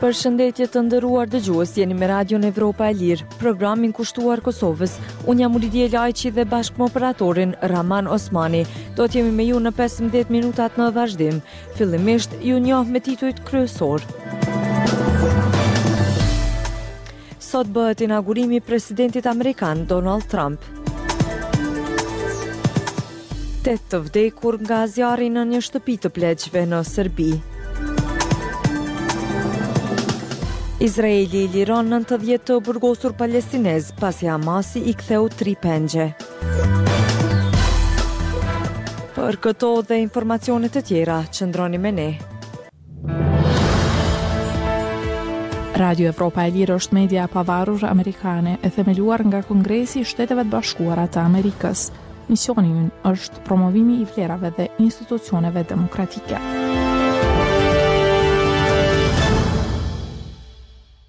Përshëndetje të nderuar dëgjues, jeni me Radion Evropa e Lirë, programin kushtuar Kosovës. Unë jam Uridije Lajçi dhe bashkë me operatorin Rahman Osmani. Do të jemi me ju në 15 minutat në vazhdim. Fillimisht, ju njoh me titujt kryesorë. Sot bëhet inaugurimi i presidentit amerikan Donald Trump. Tetë të vdekur nga zjarri në një shtëpi të pleqve në Serbi. Izraeli liron 90 të burgosur palestinezë pasi Hamasi i ktheu tri pengje. Për këto dhe informacione të tjera, qëndroni me ne. Radio Evropa e Lirë është media e pavarur amerikane e themeluar nga Kongresi i Shteteve të Bashkuara të Amerikës. Misioni ynë është promovimi i vlerave dhe institucioneve demokratike.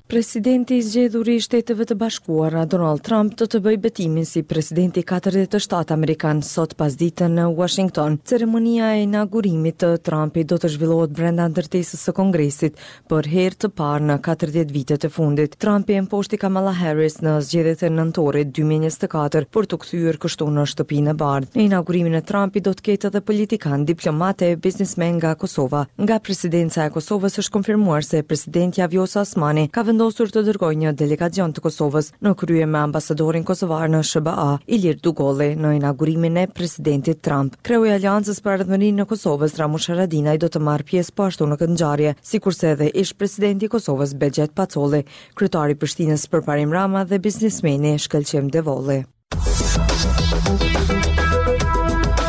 Presidenti i zgjedhur i Shteteve të Bashkuara, Donald Trump, do të bëjë betimin si presidenti i 47 amerikan sot pasdite në Washington. Ceremonia e inaugurimit të Trumpit do të zhvillohet brenda ndërtesës së Kongresit për herë të parë në 40 vitet e fundit. Trumpi e mposhti Kamala Harris në zgjedhjet e nëntorit 2024 për t'u kthyer kështu në Shtëpinë e Bardhë. Në inaugurimin e Trumpit do të ketë edhe politikanë, diplomatë e biznesmenë nga Kosova. Nga Presidenca e Kosovës është konfirmuar se presidentja Vjosa Osmani ka vendosur të dërgojë një delegacion të Kosovës në krye me ambasadorin kosovar në SHBA, Ilir Dugolli, në inaugurimin e presidentit Trump. Kreu i Aleancës për Ardhmërinë e Kosovës, Ramush Haradinaj do të marrë pjesë po ashtu në këtë ngjarje, sikurse edhe ish-presidenti i Kosovës, Behgjet Pacolli, kryetari i Prishtinës Përparim Rama dhe biznesmeni Shkëlqim Devolli.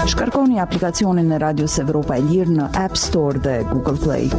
Shkarkoni aplikacionin e Radios Evropa e Lirë në App Store dhe Google Play.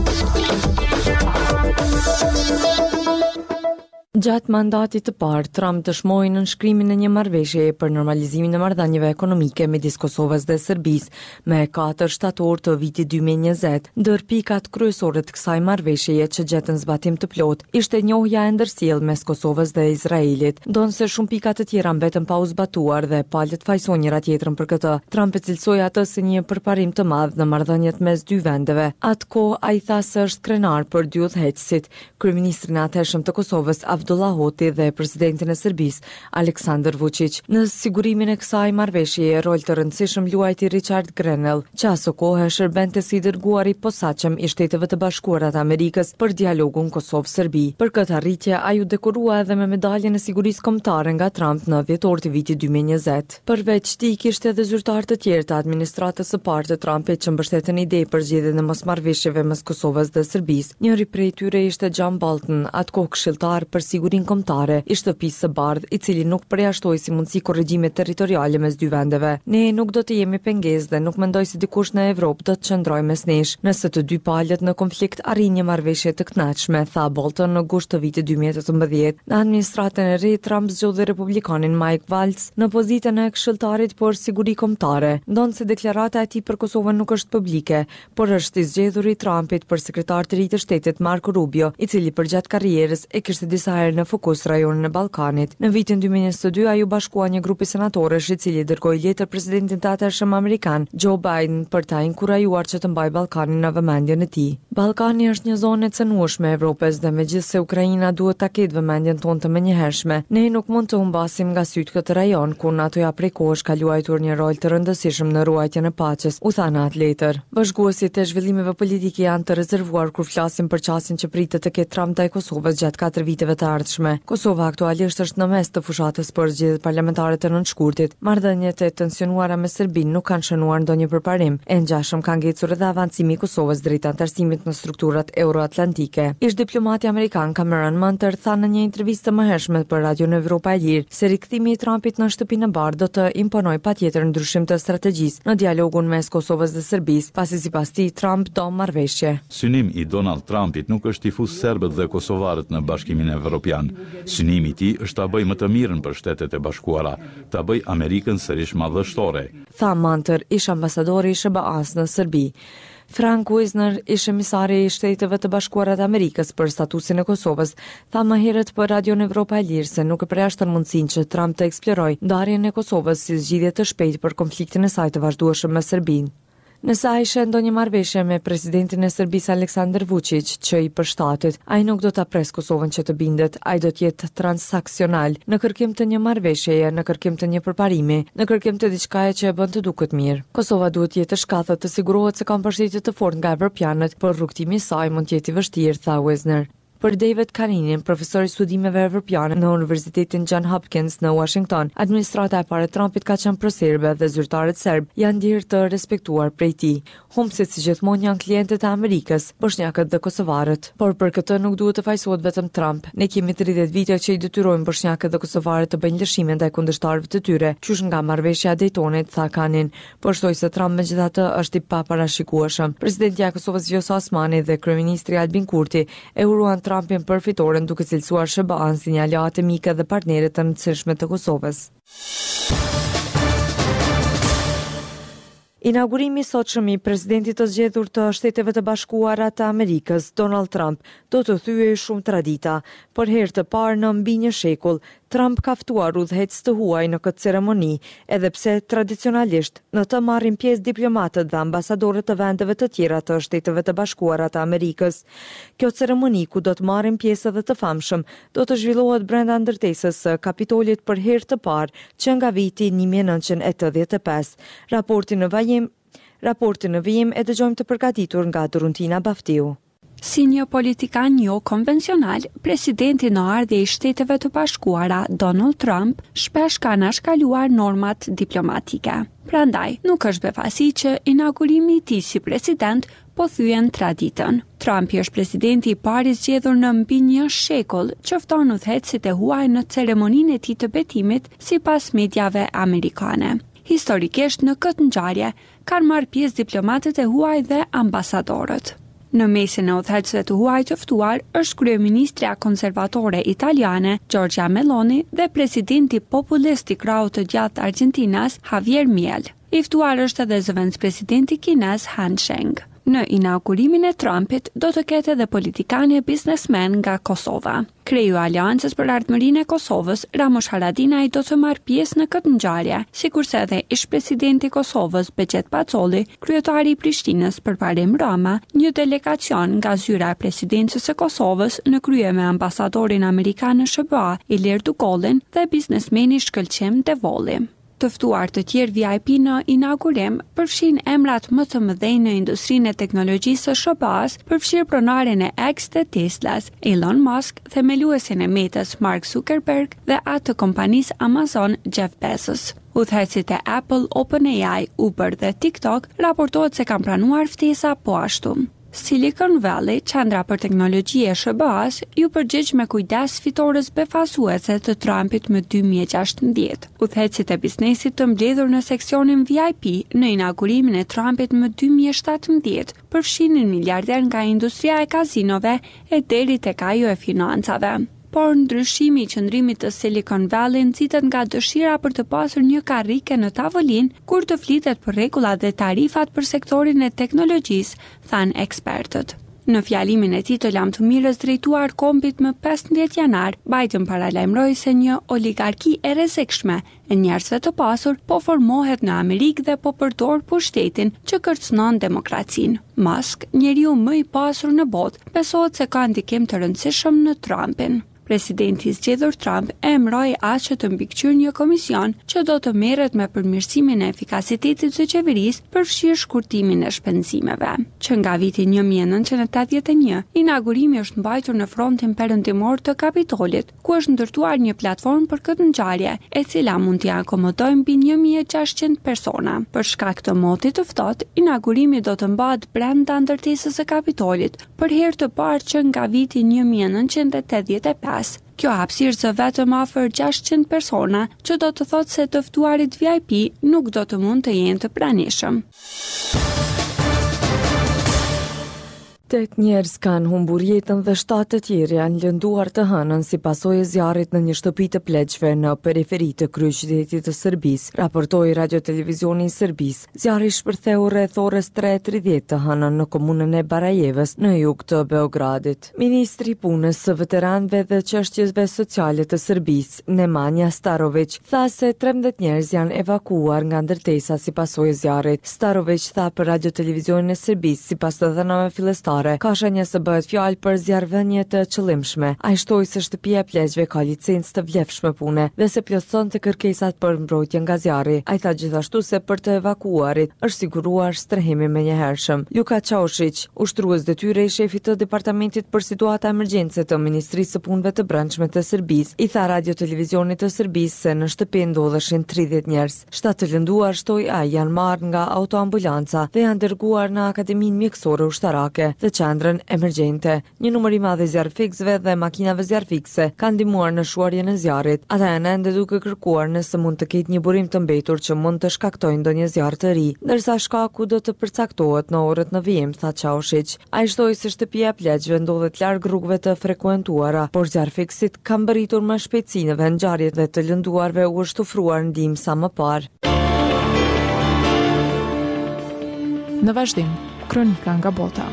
Gjatë mandatit të parë, Trump dëshmoi nënshkrimin e një marrëveshjeje për normalizimin e marrëdhënieve ekonomike midis Kosovës dhe Serbisë me 4 shtator të vitit 2020. Ndër pikat kryesore të kësaj marrëveshjeje që gjetën zbatim të plotë ishte njohja e ndërsjellë mes Kosovës dhe Izraelit. Ndonëse shumë pika të tjera mbetën pa u zbatuar dhe palët fajësojnë njëra-tjetrën për këtë, Trump e cilësoi atë si një përparim të madh në marrëdhëniet mes dy vendeve. Atë kohë, ai tha se është krenar për dy udhëheqësit, kryeministrin e atëhershëm të Kosovës, Avdullah Hoti dhe presidentin e Serbisë, Aleksandër Vuçiq. Në sigurimin e kësaj marrëveshjeje rol të rëndësishëm luajti Richard Grenell, që asokohe shërbente si i dërguar i posaçëm i Shteteve të Bashkuara të Amerikës për dialogun Kosovë-Serbi. Për këtë arritje, ai u dekorua edhe me Medaljen e Sigurisë Kombëtare nga Trump në dhjetor të vitit 2020. Përveç tij, kishte edhe zyrtarë të tjerë të administratës së parë të Trumpit që mbështetën ide për zgjidhjen e mosmarrëveshjeve mes Kosovës dhe Serbisë. Njëri prej tyre ishte John Bolton, atë kohë këshilltar për sigurinë kombëtare i Shtëpisë së Bardhë, i cili nuk përjashtoi si mundësi korrigjimet territoriale mes dy vendeve. Ne nuk do të jemi pengesë dhe nuk mendoj se dikush në Evropë do të qëndrojë mes nesh, nëse të dy palët në konflikt arrijnë një marrëveshje të kënaqshme, tha Bolton në gusht të vitit 2018. Në administratën e re, Trump zgjodhi republikanin Mike Waltz në pozitën e këshilltarit për siguri kombëtare, ndonëse deklarata e tij për Kosovën nuk është publike, por është i zgjedhuri i Trumpit për sekretar të ri të shtetit Marco Rubio, i cili përgjatë karrierës e kishte disa herë në fokus rajonin e Ballkanit. Në vitin 2022 ai u bashkua një grupi senatorësh i cili dërgoi letër presidentit të atëhershëm amerikan, Joe Biden, për ta inkurajuar që të mbajë Ballkanin në vëmendjen e tij. Ballkani është një zonë e cenueshme e Evropës dhe megjithëse Ukraina duhet ta ketë vëmendjen tonë të menjëhershme, ne nuk mund të humbasim nga sytë këtë rajon, ku NATO-ja prej kohësh ka luajtur një rol të rëndësishëm në ruajtjen e paqes, u tha në atë letër. Vëzhguesit e zhvillimeve politike janë të rezervuar kur flasin për qasjen që pritet të ketë Trump ndaj Kosovës gjatë katër viteve të ardhshme. Kosova aktualisht është në mes të fushatës për zgjedhjet parlamentare të nëntë shkurtit. Marrëdhëniet e tensionuara me Serbinë nuk kanë shënuar ndonjë përparim, e ngjashëm ka ngecur edhe avancimi i Kosovës drejt anëtarësimit në strukturat euroatlantike. Ish-diplomati amerikan Cameron Munter tha në një intervistë të mëhershme për Radion Evropa e Lirë se rikthimi i Trumpit në Shtëpinë e Bardhë do të imponojë patjetër ndryshim të strategjisë në dialogun mes Kosovës dhe Serbisë, pasi sipas tij Trump do marrëveshje. Synim i Donald Trumpit nuk është t'i fusë serbët dhe kosovarët në Bashkimin Evropian. Synimi i tij është ta bëjë më të mirën për Shtetet e Bashkuara, ta bëjë Amerikën sërish madhështore. Tha Munter, ish-ambasadori i SHBA-së në Serbi. Frank Wisner, ish-emisari i Shteteve të Bashkuara të Amerikës për statusin e Kosovës, tha më herët për Radion Evropa e Lirë se nuk e përjashton mundësinë që Trump të eksplorojë ndarjen e Kosovës si zgjidhje të shpejtë për konfliktin e saj të vazhdueshëm me Serbinë. Nëse ai sheh ndonjë marrëveshje me presidentin e Serbisë Aleksandar Vuçiq që i përshtatet, ai nuk do ta presë Kosovën që të bindet, ai do të jetë transaksional, në kërkim të një marrëveshjeje, në kërkim të një përparimi, në kërkim të diçkaje që e bën të duket mirë. Kosova duhet të jetë e shkathët të sigurohet se ka mbështetje të fortë nga evropianët, por rrugëtimi i saj mund të jetë i vështirë, tha Wisner. Për David Kaninin, profesor i studimeve evropiane në Universitetin John Hopkins në Uashington, administrata e parë e Trumpit ka qenë proserbe dhe zyrtarët serbë janë ndjerë të respektuar prej tij. Humbësit si gjithmonë janë klientët e Amerikës, boshnjakët dhe kosovarët. Por për këtë nuk duhet të fajësohet vetëm Trump. Ne kemi 30 vite që i detyrojmë boshnjakët dhe kosovarët të bëjnë lëshime ndaj kundërshtarëve të tyre, qysh nga marrëveshja e Daytonit, tha Kanin. Por shtoi se Trump megjithatë është i paparashikueshëm. Presidentja e Kosovës Vjosa Osmani dhe kryeministri Albin Kurti e uruan Trumpin për fitoren duke cilësuar SHBA-në si një aleate mike dhe partnere të rëndësishme të Kosovës. Inaugurimi i sotshëm i presidentit të zgjedhur të Shteteve të Bashkuara të Amerikës, Donald Trump, do të thyejë shumë tradita. Për herë të parë në mbi një shekull, Trump ka ftuar udhëheqës të huaj në këtë ceremoni, edhe pse tradicionalisht në të marrin pjesë diplomatët dhe ambasadorët të vendeve të tjera të Shteteve të Bashkuara të Amerikës. Kjo ceremoni, ku do të marrin pjesë edhe të famshëm, do të zhvillohet brenda ndërtesës së Kapitolit për herë të parë që nga viti 1985. Raportin në vajim, raportin në vijim e dëgjojmë të përgatitur nga Doruntina Baftiu. Si një politikan jo konvencional, presidenti në ardhje i Shteteve të Bashkuara, Donald Trump, shpesh ka anashkaluar normat diplomatike. Prandaj, nuk është befasi që inaugurimi i tij si president po thyen traditën. Trumpi është presidenti i parë i zgjedhur në mbi një shekull që fton udhëheqësit e huaj në ceremoninë e tij të betimit, sipas mediave amerikane. Historikisht në këtë ngjarje kanë marrë pjesë diplomatët e huaj dhe ambasadorët. Në mesin e udhëheqësve të huaj të ftuar është kryeministrja konservatore italiane, Giorgia Meloni dhe presidenti populist i krahut të djathtë argjentinas, Javier Miel. I ftuar është edhe zëvendëspresidenti kinez Han Sheng. Në inaugurimin e Trumpit do të ketë edhe politikanë e biznesmenë nga Kosova. Kreu i Aleancës për Ardhmërinë e Kosovës, Ramush Haradinaj do të marrë pjesë në këtë ngjarje, sikurse edhe ish-presidenti i Kosovës, Behgjet Pacolli, kryetari i Prishtinës, Përparim Rama, një delegacion nga zyra e Presidencës së Kosovës në krye me ambasadorin amerikan në SHBA, Ilir Dugollin dhe biznesmeni Shkëlqim Devolli. Të ftuar të tjerë VIP në inaugurim përfshijnë emrat më të mëdhenj në industrinë e teknologjisë së SHBA-së, përfshirë pronarin e X dhe Tesla-s, Elon Musk, themeluesin e Meta-s Mark Zuckerberg dhe atë të kompanisë Amazon, Jeff Bezos. Udhëheqësit e Apple, OpenAI, Uber dhe TikTok raportohet se kanë pranuar ftesa po ashtu. Silicon Valley, qendra për teknologji e SHBA-së, iu përgjigj me kujdes fitores befasuese të Trumpit më 2016. Udhëheqësit e biznesit të mbledhur në seksionin VIP në inaugurimin e Trumpit më 2017 përfshinin miliarderë nga industria e kazinove e deri tek ajo e financave. Por ndryshimi i qëndrimit të Silicon Valley nxitet nga dëshira për të pasur një karrike në tavolinë kur të flitet për rregullat dhe tarifat për sektorin e teknologjisë, thanë ekspertët. Në fjalimin e tij të lamtumirës drejtuar kombit më 15 janar, Biden paralajmëroi se një oligarki e rrezikshme e njerëzve të pasur po formohet në Amerikë dhe po përdor pushtetin që kërcënon demokracinë. Musk, njeriu më i pasur në botë, besohet se ka ndikim të rëndësishëm në Trumpin. Presidenti i zgjedhur Trump e emëroi atë që të mbikëqyrë një komision që do të merret me përmirësimin e efikasitetit të qeverisë, përfshirë shkurtimin e shpenzimeve. Që nga viti 1981, inaugurimi është mbajtur në frontin perëndimor të Kapitolit, ku është ndërtuar një platformë për këtë ngjarje, e cila mund t'i akomodojë mbi 1600 persona. Për shkak të motit të ftohtë, inaugurimi do të mbahet brenda ndërtesës së Kapitolit, për herë të parë që nga viti 1985. Kjo hapësirë zë vetëm afër 600 persona, që do të thotë se të ftuarit VIP nuk do të mund të jenë të pranishëm. Tetë njerëz kanë humbur jetën dhe shtatë të tjerë janë lënduar të hënën si pasojë e zjarrit në një shtëpi të pleqve në periferi të kryeqytetit të Serbisë, raportoi Radiotelevizioni i Serbisë. Zjarri shpërtheu rreth orës 3:30 të hënën në komunën e Barajevës, në jug të Beogradit. Ministri i Punës së Veteranëve dhe Çështjeve Sociale të Serbisë, Nemanja Staroviq, tha se 13 njerëz janë evakuuar nga ndërtesa si pasojë e zjarrit. Staroviq tha për Radiotelevizionin e Serbisë, sipas të dhënave fillestare, ka shenja se bëhet fjalë për zjarrvënie të qëllimshme. Ai shtoi se shtëpia e pleqve ka licencë të vlefshme pune dhe se plotësonte kërkesat për mbrojtje nga zjarri. Ai tha gjithashtu se për të evakuuarit është siguruar strehim i menjëhershëm. Luka Çaushiq, Ushtrues detyre i shefit të Departamentit për Situata Emergjence të Ministrisë së Punëve të Brendshme të Serbisë, i tha Radiotelevizionit të Serbisë se në shtëpi ndodheshin 30 njerëz. Shtatë të lënduar, shtoi ai, janë marrë nga autoambulanca dhe janë dërguar në Akademinë Mjekësore Ushtarake dhe Qendrën Emergjente. Një numër i madh i zjarrfikësve dhe makinave zjarrfikëse kanë ndihmuar në shuarjen e zjarrit. Ata janë ende duke kërkuar nëse mund të ketë një burim të mbetur që mund të shkaktojë ndonjë zjarr të ri, ndërsa shkaku do të përcaktohet në orët në vijim, tha Çaushiq. Ai shtoi se shtëpia e pleqve ndodhet larg rrugëve të frekuentuara, por zjarrfikësit kanë mbërritur me shpejtësi në vendngjarje dhe të lënduarve u është ofruar ndihmë sa më parë. Në vazhdim, Kronika nga bota.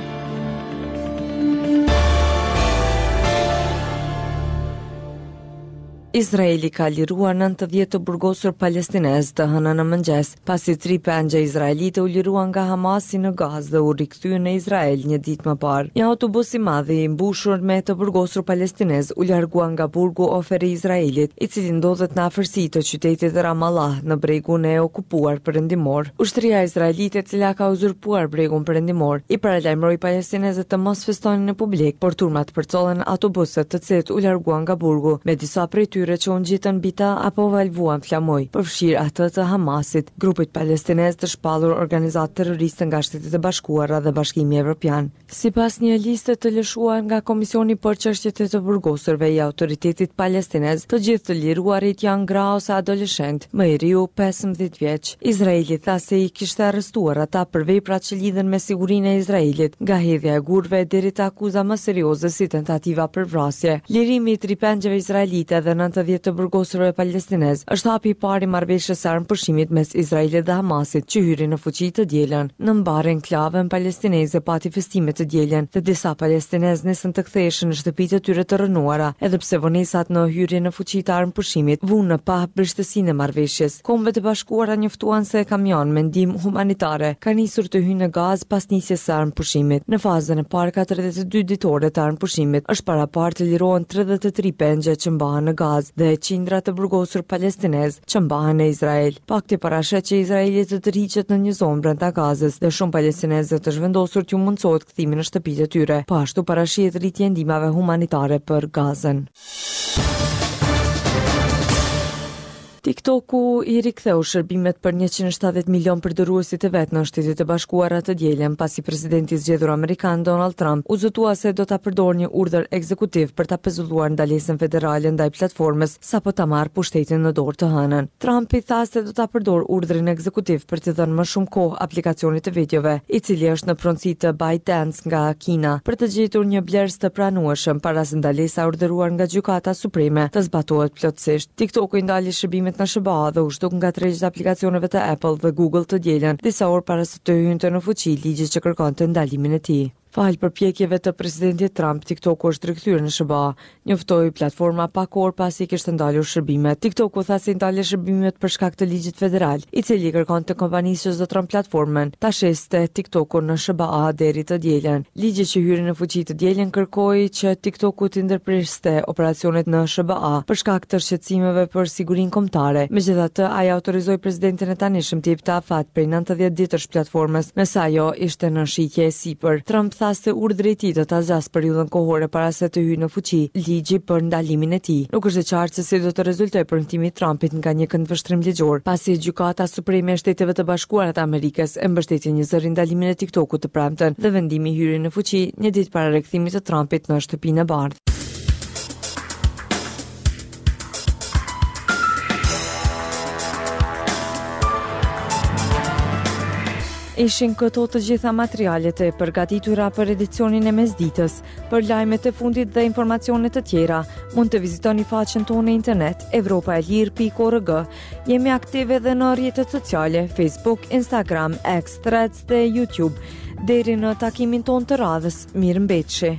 Izraeli ka liruar 90 të burgosur palestinezë të hënën në mëngjes, pasi tri pengje izraelite u liruan nga Hamasi në Gazë dhe u rikthyen në Izrael një ditë më parë. Një autobus i madh i mbushur me të burgosur palestinezë u largua nga burgu Ofer i Izraelit, i cili ndodhet në afërsi të qytetit Ramallah në bregun e okupuar perëndimor. Ushtria izraelite, e cila ka uzurpuar Bregun Perëndimor, i paralajmëroi palestinezët të mos festonin në publik, por turmat përcollën autobusët, të cilët u larguan nga burgu, me disa prej tyre që u ngjitën mbi ta apo valëvuan flamuj, përfshirë atë të Hamasit, grupit palestinez të shpallur organizatë terroriste nga Shtetet e Bashkuara dhe Bashkimi Evropian. Sipas një liste të lëshuar nga Komisioni për Çështjet e të Burgosurve i Autoritetit Palestinez, të gjithë të liruarit janë gra ose adoleshentë, më i riu 15 vjeç. Izraeli tha se i kishte arrestuar ata për vepra që lidhen me sigurinë e Izraelit, nga hedhja e gurëve deri te akuza më serioze si tentativa për vrasje. Lirimi i tri pengjeve izraelite dhe 90 të burgosurve palestinezë është hapi i parë i marrëveshjes së armëpushimit mes Izraelit dhe Hamasit, që hyri në fuqi të dielën. Në mbarë enklavën palestineze pati festime të dielën dhe disa palestinezë nisën të ktheheshin në shtëpitë e tyre të rrënuara, edhe pse vonesat në hyrjen në fuqi të armëpushimit vunë në pah brishtësinë e marrëveshjes. Kombet e Bashkuara njoftuan se kamionë me ndihmë humanitare kanë nisur të hyjnë në Gazë pas nisjes së armëpushimit. Në fazën e parë 42 ditore të armëpushimit është paraparë të lirohen 33 pengje që mbahen në Gazë dhe qindra të burgosur palestinezë që mbahen në Izrael. Pakti parasheh që Izraeli të tërhiqet në një zonë brenda Gazës dhe shumë palestinezëve të zhvendosur t'u mundësohet kthimi në shtëpitë e tyre. Po ashtu parashihet rritje e ndihmave humanitare për Gazën. TikToku i riktheu shërbimet për 170 milion përdoruesit e vet në Shtetet e Bashkuara të dielën, pasi presidenti i zgjedhur amerikan Donald Trump u zotua se do ta përdorë një urdhër ekzekutiv për ta pezulluar ndalesën federale ndaj platformës sapo ta marrë pushtetin në dorë të hënën. Trumpi tha se do ta përdorë urdhrin ekzekutiv për t'i dhënë më shumë kohë aplikacionit të videove, i cili është në pronësi të ByteDance nga Kina, për të gjetur një blerës të pranueshëm para se ndalesa e urdhëruar nga Gjykata Supreme të zbatohet plotësisht. TikToku i ndali shërbimet në SHBA dhe u zhduk nga tregjet e aplikacioneve të Apple dhe Google të dielën, disa orë para se të hynte në fuqi ligji që kërkonte ndalimin e tij. Falë përpjekjeve të presidentit Trump, TikToku është rikthyer në SHBA, njoftoi platforma pak orë pasi i kishte ndalur shërbimet. TikToku tha se i ndali shërbimet për shkak të ligjit federal, i cili i kërkonte kompanisë që zotëron platformën ta shiste TikTokun në SHBA deri të dielën. Ligji që hyri në fuqi të dielën kërkoi që TikToku t'i ndërpriste operacionet në SHBA për shkak të shqetësimeve për sigurinë kombëtare. Megjithatë, ai autorizoi presidentin e tanishëm t'i jepte afat prej 90 ditësh platformës, nëse ajo ishte në shitje e sipër. Trump tha se urdhri i tij do ta zgjasë periudhën kohore para se të hyjë në fuqi ligji për ndalimin e tij. Nuk është e qartë se si do të rezultojë premtimi i Trumpit nga një këndvështrim ligjor, pasi Gjykata Supreme e Shteteve të Bashkuara të Amerikës e mbështeti njëzëri ndalimin e TikTok-ut të premten dhe vendimi hyri në fuqi një ditë para rikthimit të Trumpit në Shtëpinë e Bardhë. Ishin këto të gjitha materialet e përgatitura për edicionin e mesditës. Për lajmet e fundit dhe informacione të tjera, mund të vizitoni faqen tonë në internet evropaelire.org. Jemi aktive edhe në rrjetet sociale, Facebook, Instagram, X, Threads dhe YouTube. Deri në takimin tonë të radhës, mirë mbetshi.